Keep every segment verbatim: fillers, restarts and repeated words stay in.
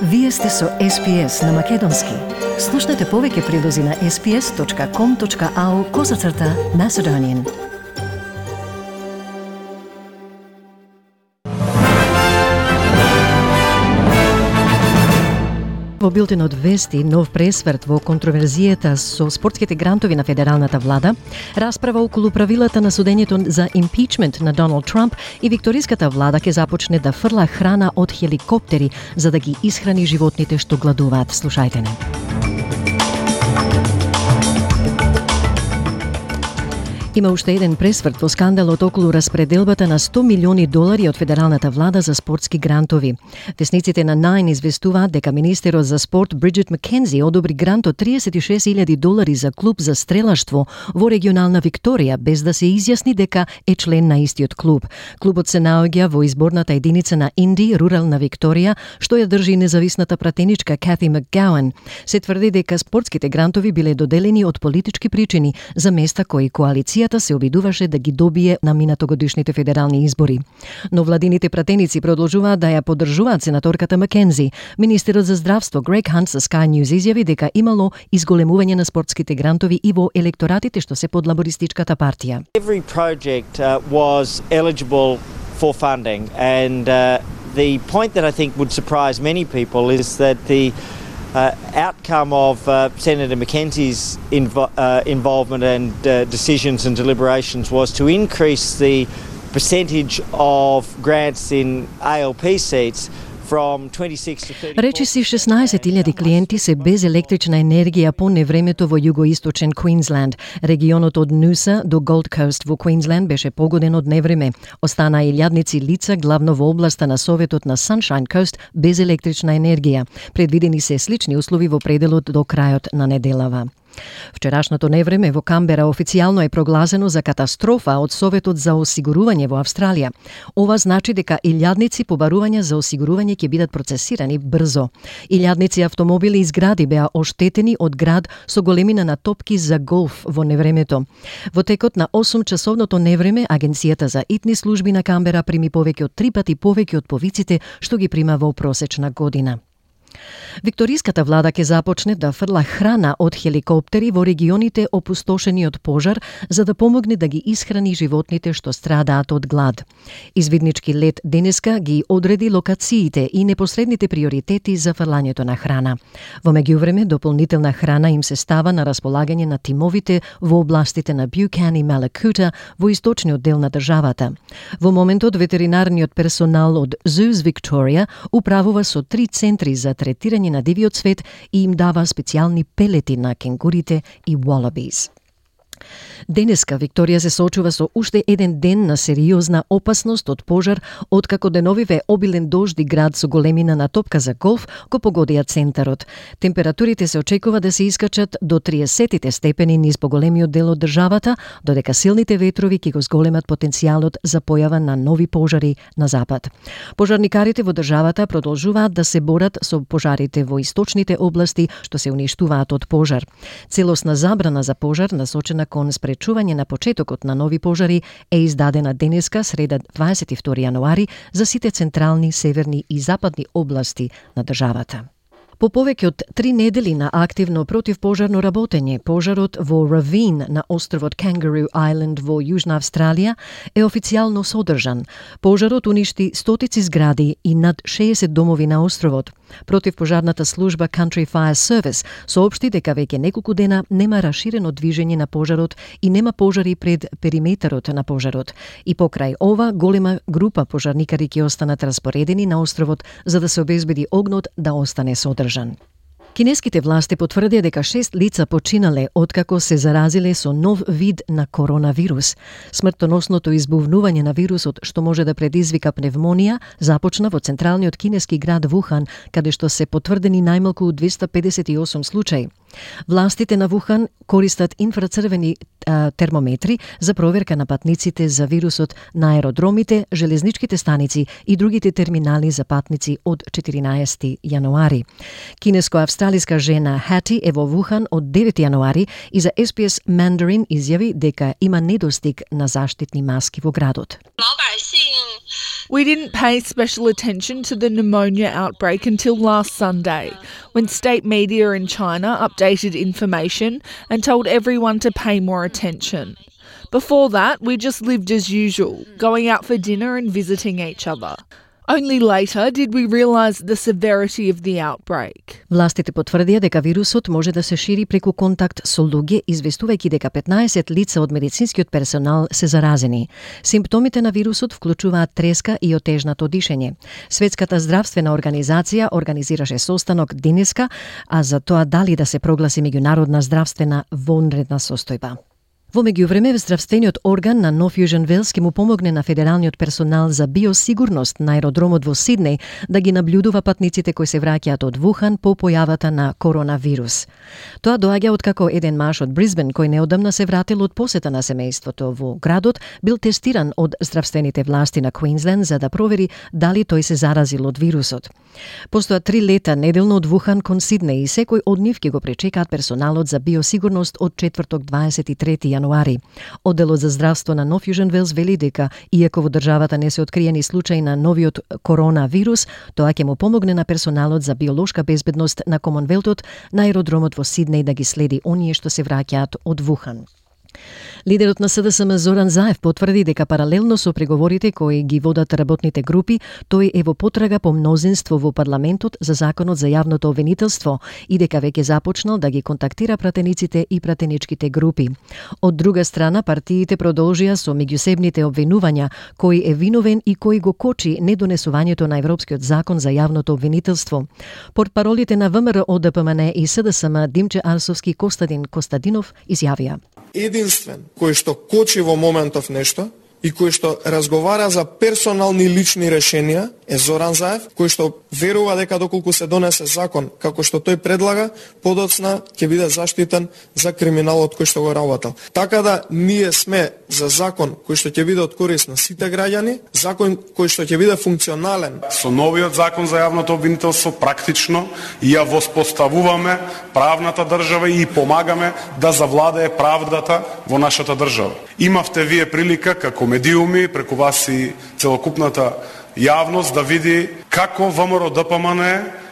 Вие сте со Ес Би Ес на Македонски. Слушнете повеќе прилози на ес би ес точка ком точка ау козацрта Macedonian. Во билтенот вести нов пресврт во контроверзијата со спортските грантови на федералната влада, расправа околу правилата на судењето за импичмент на Доналд Трамп и викториската влада ќе започне да фрла храна од хеликоптери за да ги исхрани животните што гладуваат. Слушајте не. Има уште еден пресврт во скандалот околу распределбата на сто милиони долари од федералната влада за спортски грантови. Весниците на Nine известуваат дека министерот за спорт Бриджит Маккензи одобри грант од триесет и шест илјади долари за клуб за стрелаштво во регионална Викторија, без да се изјасни дека е член на истиот клуб. Клубот се наоѓа во изборната единица на Инди, рурална Викторија, што ја држи независната пратеничка Кати Макгауан. Се тврди дека спортските грантови биле доделени од политички причини за места кои коалиција се обидуваше да ги добие на минатогодишните федерални избори. Но владините пратеници продолжуваат да ја поддржуваат сенаторката Маккензи. Министерот за здравство Грег Хант со Sky News изјави дека имало изголемување на спортските грантови и во електоратите што се под лабористичката партија. Every project uh, was eligible for funding, and uh, the point that I think would surprise many people is that the Uh, outcome of uh, Senator Mackenzie's invo- uh, involvement and uh, decisions and deliberations was to increase the percentage of grants in A L P seats from twenty-six to thirty-four. Речиси шеснаесет илјади клиенти се без електрична енергија по невремето во југоисточен Квинсленд. Регионот од Нуса до Голд Кост во Квинсленд беше погоден од невреме. Остана илјадници лица главно во областа на Советот на Sunshine Coast без електрична енергија. Предвидени се слични услови во пределот до крајот на неделава. Вчерашното невреме во Камбера официјално е прогласено за катастрофа од Советот за осигурување во Австралија. Ова значи дека илјадници побарувања за осигурување ќе бидат процесирани брзо. Илјадници автомобили и згради беа оштетени од град со големина на топки за голф во невремето. Во текот на осум часовното невреме, Агенцијата за итни служби на Камбера прими повеќе од три пати повеќе од повиците што ги прима во просечна година. Викториската влада ќе започне да фрла храна од хеликоптери во регионите опустошени од пожар за да помогне да ги исхрани животните што страдаат од глад. Извиднички лет денеска ги одреди локациите и непосредните приоритети за фрлањето на храна. Во меѓувреме, дополнителна храна им се става на располагање на тимовите во областите на Бюкан и Малакута во источниот дел на државата. Во моментот ветеринарниот персонал од Zoos Victoria управува со три центри за третирање на дивиот свет и им дава специјални пелети на кенгурите и wallabies. Денеска Викторија се соочува со уште еден ден на сериозна опасност од пожар, откако деновиве обилен дожд и град со големина на топка за голф го погодија центарот. Температурите се очекува да се искачат до триесет степени низ поголемиот дел од државата, додека силните ветрови ќе го зголемат потенцијалот за појава на нови пожари на запад. Пожарникарите во државата продолжуваат да се борат со пожарите во источните области што се уништуваат од пожар. Целосна забрана за пожар насочена кон спречување на почетокот на нови пожари е издадена денеска, среда дваесет и втори јануари, за сите централни, северни и западни области на државата. По повеќе од три недели на активно противпожарно работење, пожарот во Равин на островот Kangaroo Island во Јужна Австралија е официјално содржан. Пожарот уништи стотици згради и над шеесет домови на островот. Противпожарната служба Country Fire Service соопшти дека веќе неколку дена нема раширено движење на пожарот и нема пожари пред периметарот на пожарот. И покрај ова, голема група пожарникари ќе останат распоредени на островот за да се обезбеди огнот да остане содржан. Кинеските власти потврдија дека шест лица починале откако се заразиле со нов вид на коронавирус. Смртоносното избувнување на вирусот, што може да предизвика пневмонија, започна во централниот кинески град Вухан, каде што се потврдени најмалку двеста педесет и осум случаи. Властите на Вухан користат инфрацрвени а, термометри за проверка на патниците за вирусот на аеродромите, железничките станици и другите терминали за патници од четиринаесети јануари. Кинеско-австралиска жена Хати е во Вухан од девети јануари и за Ес Би Ес Mandarin изјави дека има недостиг на заштитни маски во градот. We didn't pay special attention to the pneumonia outbreak until last Sunday, when state media in China updated information and told everyone to pay more attention. Before that, we just lived as usual, going out for dinner and visiting each other. Only later did we realise the severity of the outbreak. Властите потврдија дека вирусот може да се шири преку контакт со луѓе, известувајќи дека петнаесет лица од медицинскиот персонал се заразени. Симптомите на вирусот вклучуваат треска и отежнато дишење. Светската здравствена организација организираше состанок денеска, а за тоа дали да се прогласи меѓународна здравствена вонредна состојба. Во меѓувреме, здравствениот орган на Нов Јужен Велс ќе му помогне на федералниот персонал за биосигурност на аеродромот во Сиднеј да ги наблюдува патниците кои се враќаат од Вухан по појавата на коронавирус. Тоа доаѓа откако еден маж од Брисбен кој неодамна се вратил од посета на семејството во градот бил тестиран од здравствените власти на Квинсленд за да провери дали тој се заразил од вирусот. Постојат три лета неделно од Вухан кон Сиднеј и секој од нив ќе го пречекаат персоналот за биосигурност од четврток дваесет и трети јануари. Одделот за здравство на Нов Јужен Велс вели дека, иако во државата не се откриени случаи на новиот коронавирус, тоа ќе му помогне на персоналот за биолошка безбедност на Комонвелтот на аеродромот во Сиднеј да ги следи оние што се враќаат од Вухан. Лидерот на С Д С М Зоран Заев потврди дека паралелно со преговорите кои ги водат работните групи, тој е во потрага по мнозинство во парламентот за законот за јавното обвинителство и дека веќе започнал да ги контактира пратениците и пратеничките групи. Од друга страна, партиите продолжија со меѓусебните обвинувања кој е виновен и кој го кочи недонесувањето на Европскиот закон за јавното обвинителство. Портпаролите на В М Р О Д П М Н и С Д С М Димче Арсовски Костадин Костадинов изјавија: единствен кој што кочи во моментов нешто и кој што разговара за персонални лични решенија е Зоран Заев, кој што верува дека доколку се донесе закон како што тој предлага, подоцна ќе биде заштитен за криминалот кој што го работел. Така да ние сме за закон кој што ќе биде од корист на сите граѓани, закон кој што ќе биде функционален. Со новиот закон за јавното обвинителство практично ја воспоставуваме правната држава и помагаме да завладее правдата во нашата држава. Имавте вие прилика како медиуми, преку вас и целокупната јавност да види како В М Р О Д П М Н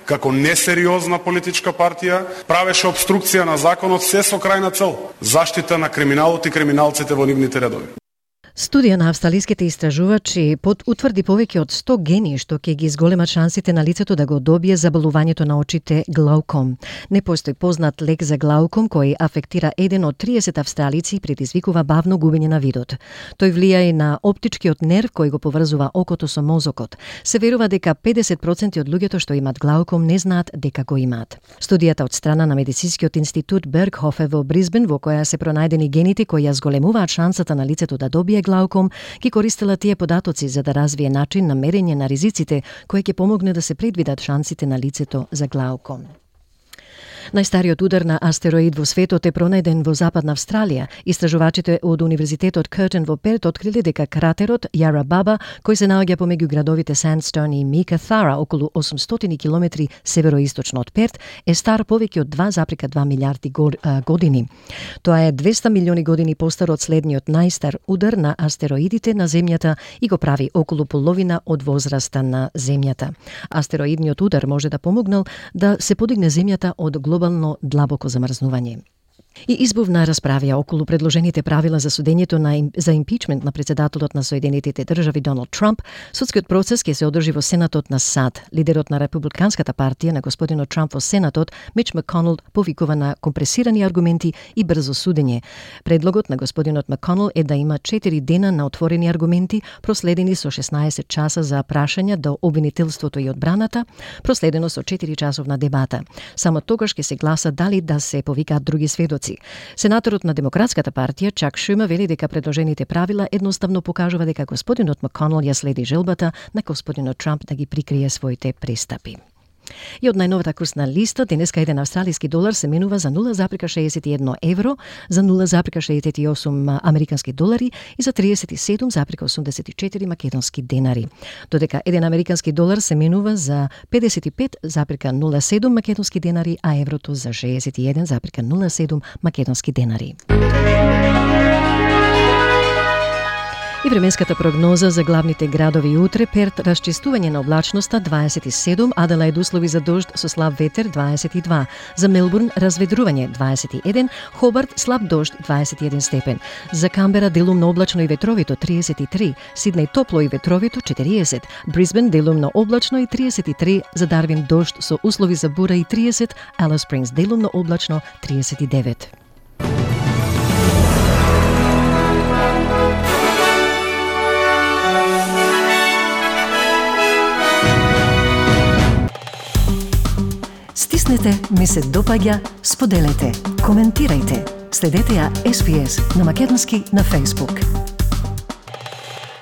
како несериозна политичка партија правеше обструкција на законот се со крајна цел заштита на криминалот и криминалците во нивните редови. Студија на австралиските истражувачи под утврди повеќе од сто гени што ќе ги изголемат шансите на лицето да го добие заболувањето на очите глауком. Не постои познат лек за глауком кој афектира еден од триесет австралици и предизвикува бавно губење на видот. Тој влија и на оптичкиот нерв кој го поврзува окото со мозокот. Се верува дека педесет проценти од луѓето што имаат глауком не знаат дека го имаат. Студијата од страна на медицинскиот институт Бергхофе во Брисбен, во која се пронајдени гените кои ја зголемуваат шансата на лицето да добие глауком, ги користела тие податоци за да развие начин на мерење на ризиците кој ќе помогне да се предвидат шансите на лицето за глауком. Најстариот удар на астероид во светот е пронајден во Западна Австралија. Истражувачите од Универзитетот Къртен во Перт открили дека кратерот Јара Баба, кој се наоѓа помеѓу градовите Сандстоун и Микаthара околу осумстотини километри североисточно од Перт, е стар повеќе од два запирка два милијарди години. Тоа е двеста милиони години постар од следниот најстар удар на астероидите на Земјата и го прави околу половина од возраста на Земјата. Астероидниот удар може да помогнал да се подигне Земјата од глобално длабоко замрзнување. И избувна расправја околу предложените правила за судењето на им, за импичмент на председателот на Соединетите држави Доналд Трамп. Судскиот процес ќе се одржи во Сенатот на САД. Лидерот на Републиканската партија на господинот Трамп во Сенатот, Мич Маконел, повикува на компресирани аргументи и брзо судење. Предлогот на господинот Маконел е да има четири дена на отворени аргументи, проследени со шеснаесет часа за прашања до обвинителството и одбраната, проследено со четири часовна дебата. Само тогаш ќе се гласа дали да се повикаат други сведоци. Сенаторот на Демократската партија Чак Шума вели дека предложените правила едноставно покажува дека господинот Маконел ја следи желбата на господинот Трамп да ги прикрие своите престапи. И од најновата курсна листа, денеска еден австралиски долар се менува за нула запирка шеесет и едно евро, за нула запирка шеесет и осум американски долари и за триесет и седум запирка осумдесет и четири македонски денари. Додека еден американски долар се менува за педесет и пет запирка нула седум македонски денари, а еврото за шеесет и еден запирка нула седум македонски денари. И временската прогноза за главните градови утре: Перт расчистување на облачноста дваесет и седум, Аделаид услови за дожд со слаб ветер дваесет и два, за Мелбурн разведрување дваесет и еден, Хобарт слаб дожд дваесет и еден степен, за Камбера делумно облачно и ветровито триесет и три, Сиднеј топло и ветровито четириесет, Брисбен делумно облачно и триесет и три, за Дарвин дожд со услови за бура и триесет, Алис Спрингс делумно облачно триесет и девет. Стиснете, ми се допаѓа, споделете, коментирајте. Следете ја Ес Би Ес на македонски на Facebook.